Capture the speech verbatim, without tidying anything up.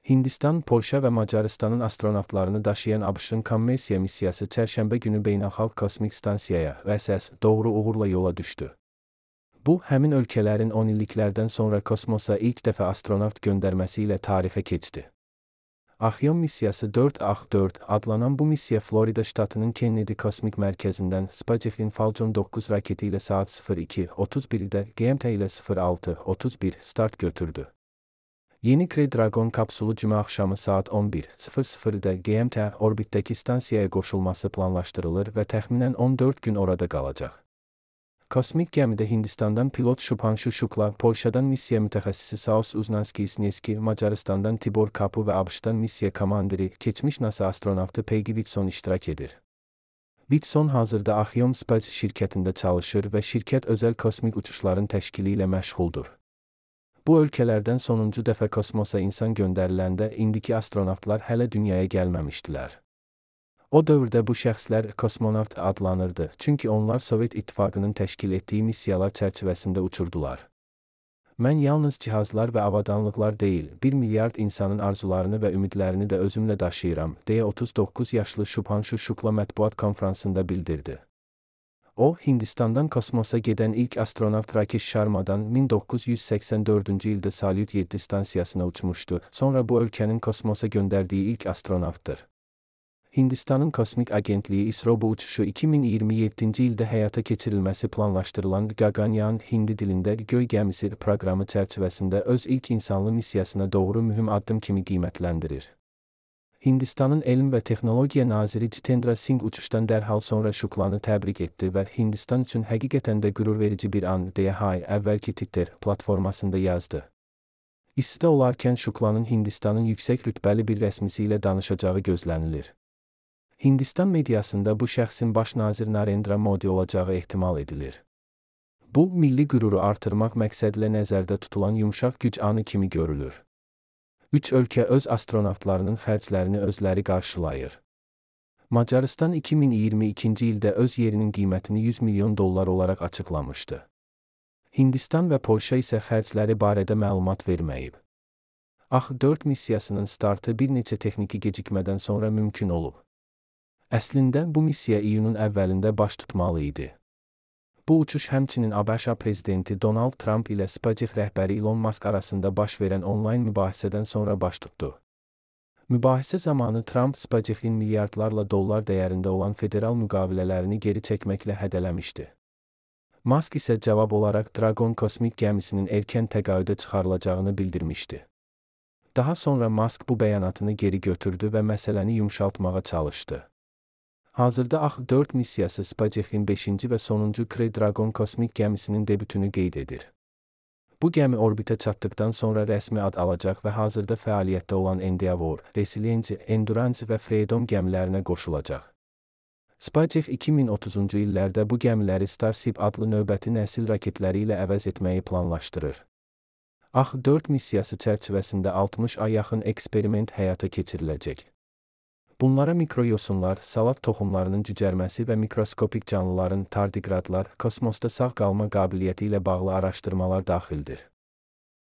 Hindistan, Polşa və Macarıstanın astronavtlarını daşıyan ABŞ-ın kommersiya missiyası çərşənbə günü Beynəlxalq Kosmik Stansiyaya (V S S) doğru uğurla yola düşdü. Bu, həmin ölkələrin on illiklərdən sonra kosmosa ilk dəfə astronavt göndərməsi ilə tarixə keçdi. Axiom missiyası dörd A X dörd adlanan bu missiya Florida ştatının Kennedy Kosmik Mərkəzindən SpaceX'in Falcon doqquz raketi ilə saat sıfır iki otuz birdə G M T ilə sıfır altı otuz bir start götürdü. Yeni Crew Dragon kapsulu cümə axşamı saat on bir sıfır sıfırda G M T orbitdəki stansiyaya qoşulması planlaşdırılır və təxminən on dörd gün orada qalacaq. Kosmik gəmidə Hindistandan pilot Shubhanshu Shukla, Polşadan missiya mütəxəssisi Saus Uznanski-Sneski, Macarıstandan Tibor Kapu və ABŞ-dan missiya komandiri, keçmiş NASA astronavtı Peggy Whitson iştirak edir. Whitson hazırda Axiom Space şirkətində çalışır və şirkət özəl kosmik uçuşların təşkili ilə məşğuldur. Bu ölkələrdən sonuncu dəfə kosmosa insan göndəriləndə indiki astronavtlar hələ dünyaya gəlməmişdilər. O dövrdə bu şəxslər kosmonavt adlanırdı, çünki onlar Sovet İttifaqının təşkil etdiyi missiyalar çərçivəsində uçurdular. Mən yalnız cihazlar və avadanlıqlar deyil, bir milyard insanın arzularını və ümidlərini də özümlə daşıyıram, deyə otuz doqquz yaşlı Shubhanshu Shukla mətbuat konfransında bildirdi. O, Hindistandan kosmosa gedən ilk astronavt Rakesh Sharma'dan min doqquz yüz səksən dördüncü ildə Salyut yeddi stansiyasına uçmuşdu, sonra bu ölkənin kosmosa göndərdiyi ilk astronavtdır. Hindistanın Kosmik Agentliyi İSRO bu uçuşu iki min iyirmi yeddinci ildə həyata keçirilməsi planlaşdırılan Gaganyaan Hindi dilində göy gəmisi proqramı çərçivəsində öz ilk insanlı missiyasına doğru mühüm addım kimi qiymətləndirir. Hindistanın Elm və Texnologiya naziri Jitendra Singh uçuşdan dərhal sonra Shuklanı təbrik etdi və Hindistan üçün həqiqətən də qürurverici bir an, deyə hay əvvəlki Twitter platformasında yazdı. İstidə olarkən Shuklanın Hindistanın yüksək rütbəli bir rəsmisi ilə danışacağı gözlənilir. Hindistan mediasında bu şəxsin baş nazir Narendra Modi olacağı ehtimal edilir. Bu, milli qüruru artırmaq məqsədilə nəzərdə tutulan yumşaq güc anı kimi görülür. Üç ölkə öz astronavtlarının xərclərini özləri qarşılayır. Macarıstan iki min iyirmi ikinci ildə öz yerinin qiymətini yüz milyon dollar olaraq açıqlamışdı. Hindistan və Polşa isə xərcləri barədə məlumat verməyib. A X dörd missiyasının startı bir neçə texniki gecikmədən sonra mümkün olub. Əslində, bu missiya iyunun əvvəlində baş tutmalı idi. Bu uçuş həmçinin ABŞ prezidenti Donald Trump ilə SpaceX rəhbəri Elon Musk arasında baş verən onlayn mübahisədən sonra baş tutdu. Mübahisə zamanı Trump SpaceX-in milyardlarla dollar dəyərində olan federal müqavilələrini geri çəkməklə hədələmişdi. Musk isə cavab olaraq Dragon kosmik gəmisinin erkən təqaüdə çıxarılacağını bildirmişdi. Daha sonra Musk bu bəyanatını geri götürdü və məsələni yumşaltmağa çalışdı. Hazırda A X dörd missiyası SpaceX-in beşinci və sonuncu Crew Dragon kosmik gəmisinin debütünü qeyd edir. Bu gəmi orbitə çatdıqdan sonra rəsmi ad alacaq və hazırda fəaliyyətdə olan Endeavour, Resilience, Endurance və Freedom gəmilərinə qoşulacaq. SpaceX iki min otuzuncu illərdə bu gəmiləri Starship adlı növbəti nəsil raketləri ilə əvəz etməyi planlaşdırır. A X dörd missiyası çərçivəsində altmış ay yaxın eksperiment həyata keçiriləcək. Bunlara mikroyosunlar, salat toxumlarının cücərməsi və mikroskopik canlıların tardiqradlar, kosmosda sağ qalma qabiliyyəti ilə bağlı araşdırmalar daxildir.